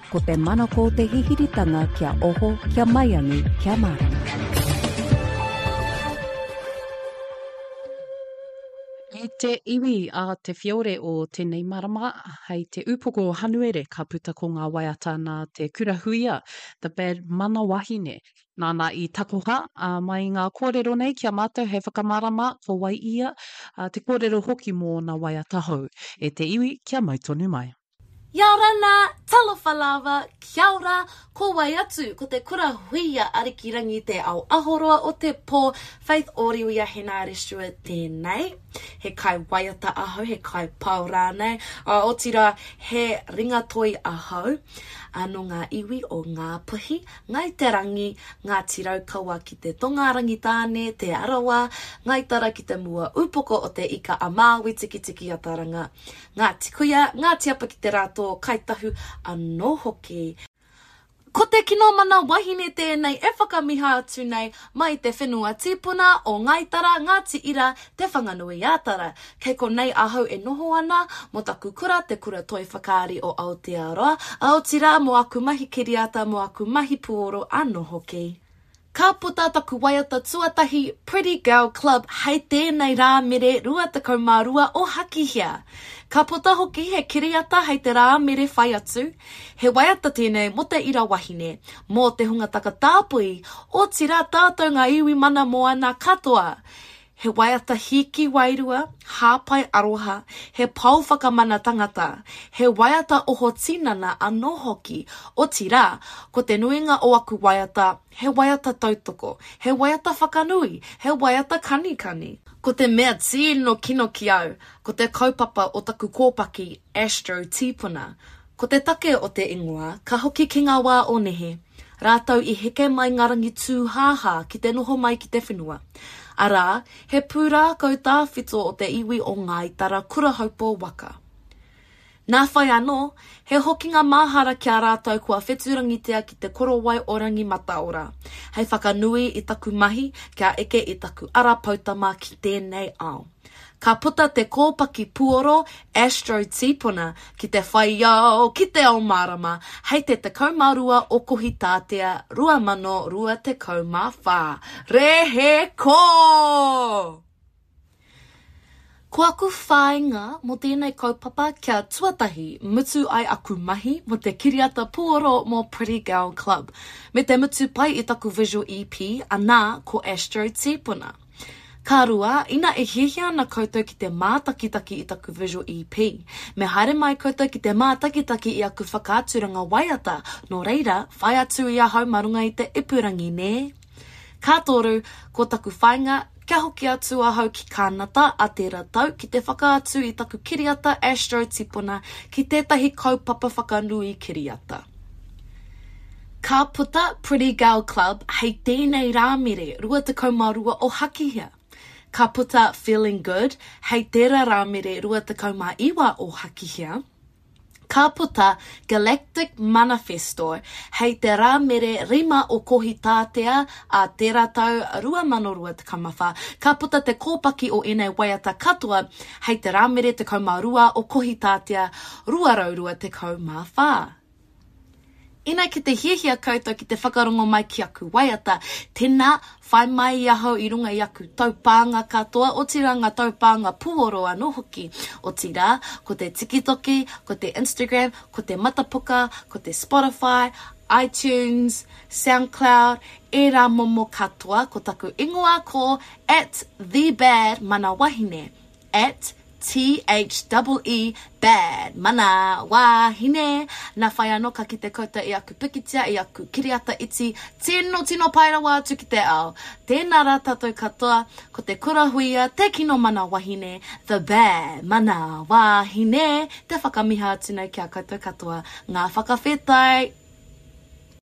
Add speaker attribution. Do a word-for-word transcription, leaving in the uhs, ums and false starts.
Speaker 1: Ko te manako o te hihiritanga kia oho, kia maiangi, kia mārama.
Speaker 2: E te iwi a Te Whiore o tēnei marama, hei te upoko o Hanuere ka puta ko ngā waiata nā Te Kura Huia, The Bad Mana Wahine. Nāna i takoha ā, mai i ngā kōrero nei ki a mātou hei whakamārama ko wai ia, ā, te kōrero hoki mō ōna waiata hou. E te iwi, kia mau tonu mai.
Speaker 3: Ia-ora-na, talofa lava, kia ora, ko wai atu, ko te kura huia Arikirangi te ao ahoroa o te pō, Faith Oriwia Henare Stewart tēnei. He kai waiata ahau, he kai pao rānei, ā, otirā, he ringatoi ahau, ā, nō ngā iwi o Ngāpuhi, Ngāi Te Rangi, Ngāti Raukawa ki te tonga, Rangitāne, Te Arawa, Ngāi Tara ki te mua upoko o Te Ika a Māui Tikitiki-a-Taranga, Ngāti Kuia, Ngāti Apa ki te Rātō, Kāi Tahu anō hoki. Ko te kino mana wahine tēnei e whakamiha atu nei mai te whenua tīpuna o Ngāi Tara, Ngāti Ira, Te Whanganui-ā-Tara. Kei konei ahau e noho ana, mō taku kura, Te Kura Toi Whakaari o Aotearoa, ā, otirā mō aku mahi kiriata, mō aku mahi puoro anō hoki. Ka puta taku waiata tuatahi Pretty Girl Club hei tēnei Rāmere rua tekau mā rua o Hakihea. Ka puta hoki he kiriata hei te Rāmere whai atu. He waiata tēnei mō te ira wahine, mō te hunga takatāpui, otirā tātou ngā iwi mana moana katoa. He waiata hīki wairua, hāpai aroha, he pou whakamana tangata, he waiata oho tinana anō hoki, otirā, ko te nuinga o aku waiata, he waiata tautoko, he waiata whakanui, he waiata kanikani. Ko te mea tino kino ki au, ko te kaupapa o taku kōpaki Astro Tīpuna. Ko te take o te ingoa, ka hoki ki ngā wā o nehe, rātou i heke mai ngā rangi tūhāhā ki te noho mai ki te whenua. Arā, he pūrākau tāwhito o te iwi o Ngāi Tara Kurahaupō waka. Nā whai anō, he hokinga mahara ki a rātou kua whetūrangitia ki te korowai o Rangi Mataora, hei whakanui i taku mahi kia eke i taku ara poutama ki tēnei ao. Ka puta te kōpaki puoro Astro Tīpuna ki te whai ao, ki te ao mārama, hei te tekau mā rua o Kohitātea rua mano rua tekau mā whā. Rehe kō! Ko aku whāinga mō tēnei kaupapa kia tuatahi mutu ai aku mahi mō te kiriata puoro mō Pretty Girl Club, me te mutu pai i taku visual EP, anā, ko Astro Tīpuna. Ka rua, ina e hiahia ana koutou ki te mātakitaki i taku visual EP, me haere mai koutou ki te mātakitaki i aku whakaaturanga waiata, nō reira, whai atu i ahau mā runga i te ipurangi, nē? Ka toru, ko taku whāinga, kia hoki atu ahau ki Kānata a tērā tau ki te whakaatu i taku kiriata Astro Tipuna ki tētahi kaupapa whakanui kiriata. Ka puta Pretty Girl Club hei tēnei Rāmere rua tekau mā rua o Hakihea. Ka puta Feeling Good hei tērā Rāmere rua tekau mā iwa o Hakihea. Ka puta Galactic Manifesto hei te Rāmere rima o Kohitātea a tērā tau rua mano rua tekau mā whā. Ka puta te kōpaki o ēnei waiata katoa hei te Rāmere tekau mā rua o Kohitātea rua rau rua tekau mā whā. Ina ki te hiahia koutou ki te whakarongo mai ki aku waiata, tēnā, whai mai i ahau i runga i aku taupānga katoa, otirā ngā taupānga puoro anō hoki. Otirā, ko te TikTok, ko te Instagram, ko te Matapuka, ko te Spotify, iTunes, SoundCloud, ērā momo katoa, ko taku ingoa ko at the bad mana wahine, at T H E E bad mana wahine. Nā whai anō ka kite koutou i aku pikitia, i aku kiriata iti, tino tino pai rawa atu ki te ao. Tēnā rā tātou katoa, ko te kura huia, te kino mana wahine, the bad mana wahine, te whakamiha atu nei ki a koutou katoa. Ngā whakawhetai!